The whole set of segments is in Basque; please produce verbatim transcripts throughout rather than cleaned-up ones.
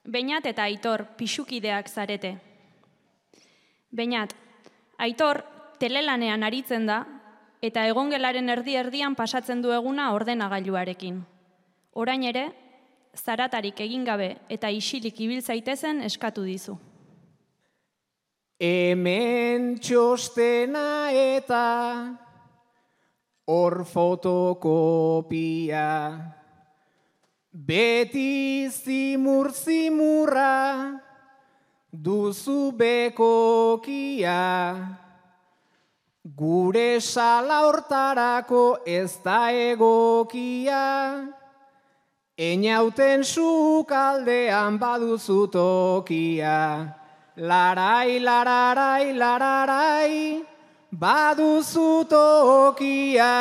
Beñat eta Aitor pixukideak zarete. Beñat, Aitor telelanean aritzen da eta egongelaren erdi-erdian pasatzen du eguna ordenagailuarekin. Orain ere, zaratarik egin gabe eta isilik ibil zaitezen eskatu dizu. Hemen txostena eta hor fotokopia, beti zimur-zimurra duzu bekokia, gure sala hortarako ez da egokia, einauten sukaldean baduzu tokia, larai, lararai, lararai, baduzu tokia.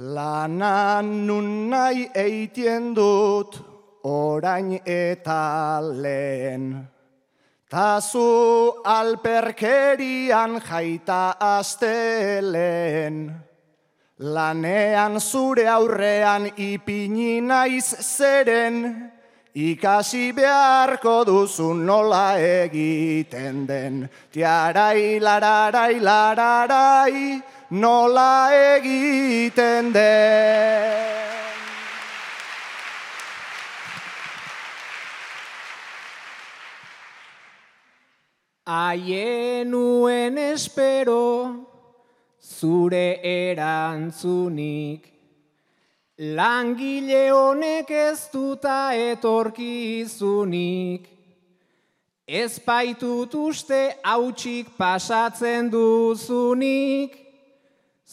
Lanan nun nahi eitien dut orain eta lehen, tazu alperkerian jaita astelen, lanean zure aurrean ipini naiz zeren, ikasi beharko duzu nola egiten den, tiarai, lararai, lararai, nola egiten den. Aienuen espero zure erantzunik, langile honek ez duta etorkizunik, ez baitut uste hautsik pasatzen duzunik,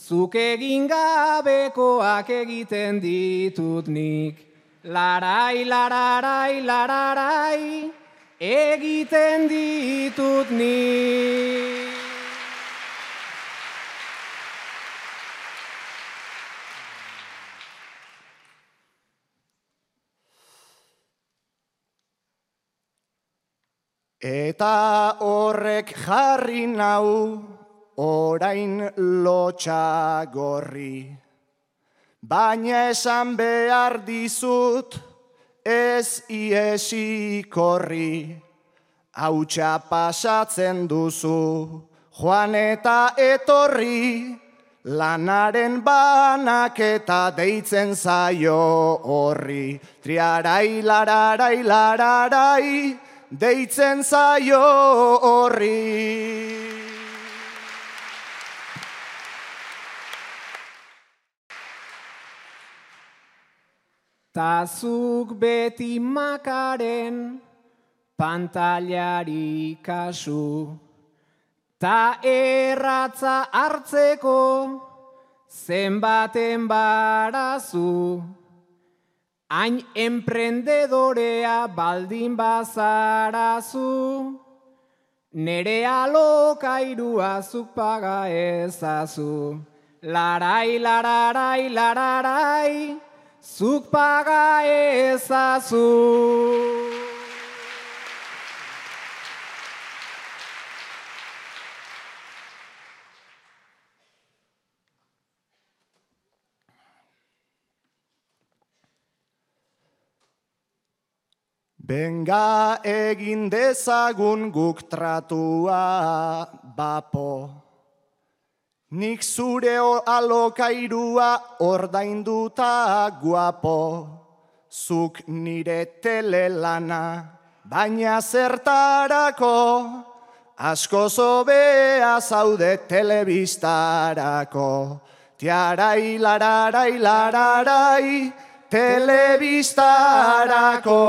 zuk egin gabekoak egiten ditut nik, larai, lararai, lararai, egiten ditut nik. Eta horrek jarri nau orain lotxa gorri, baina esan behar dizut ez iesi korri, hautsa pasatzen duzu, joan eta etorri, lanaren banaketa deitzen zaio horri, triarai, lararai, lararai, deitzen zaio horri. Tazuk beti makaren pantailari kasu, ta erratza hartzeko zenbaten barazu, hain emprendedorea baldin bazarazu, nere alokairua zuk paga ezazu, larai, lararai, lararai, zuk paga ezazu. Benga egin dezagun guk tratua bapo, nik zure alokairua ordainduta guapo, zuk nire telelana, baina zertarako, asko zobea zaude telebistarako, tiarai, lararai, lararai, telebistarako.